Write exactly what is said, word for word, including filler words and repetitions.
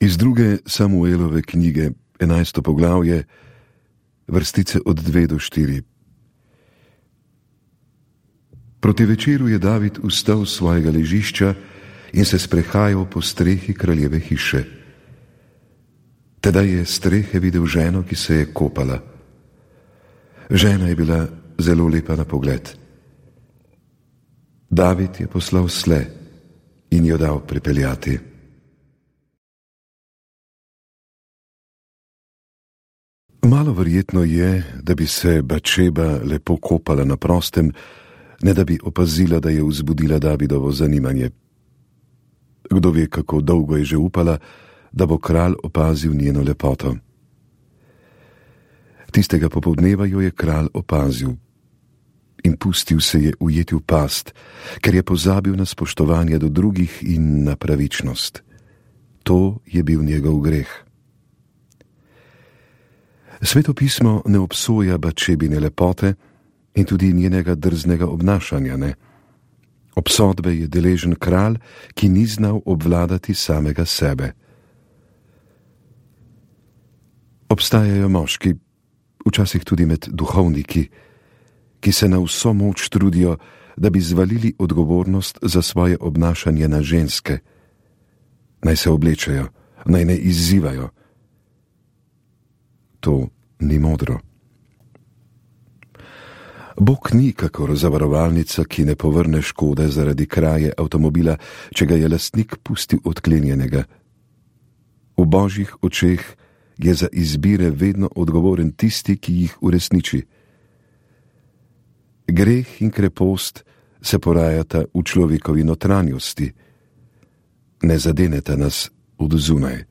Iz druge Samuelove knjige, enajsto poglavje, vrstice od dve do štiri. Proti večeru je David vstal z svojega ležišča in se sprehajal po strehi kraljeve hiše. Tedaj je strehe videl ženo, ki se je kopala. Žena je bila zelo lepa na pogled. David je poslal sle in jo dal pripeljati. Malo verjetno je, da bi se Batšeba lepo kopala na prostem, ne da bi opazila, da je vzbudila Davidovo zanimanje. Kdo ve, kako dolgo je že upala, da bo kralj opazil njeno lepoto. Tistega popoldneva jo je kralj opazil in pustil se je ujeti v past, ker je pozabil na spoštovanje do drugih in na pravičnost. To je bil njegov greh. Sveto pismo ne obsoja Batšebine lepote in tudi njenega drznega obnašanja ne. Obsodbe je deležen kralj, ki ni znal obvladati samega sebe. Obstajajo moški, včasih tudi med duhovniki, ki se na vso moč trudijo, da bi zvalili odgovornost za svoje obnašanje na ženske. Naj se oblečejo, naj ne izzivajo. To ni modro. Bog ni kakor zavarovalnica, ki ne povrne škode zaradi kraje avtomobila, če ga je lastnik pustil odklenjenega. V božjih očeh je za izbire vedno odgovoren tisti, ki jih uresniči. Greh in krepost se porajata v človekovi notranjosti, ne zadeneta nas od zunaj.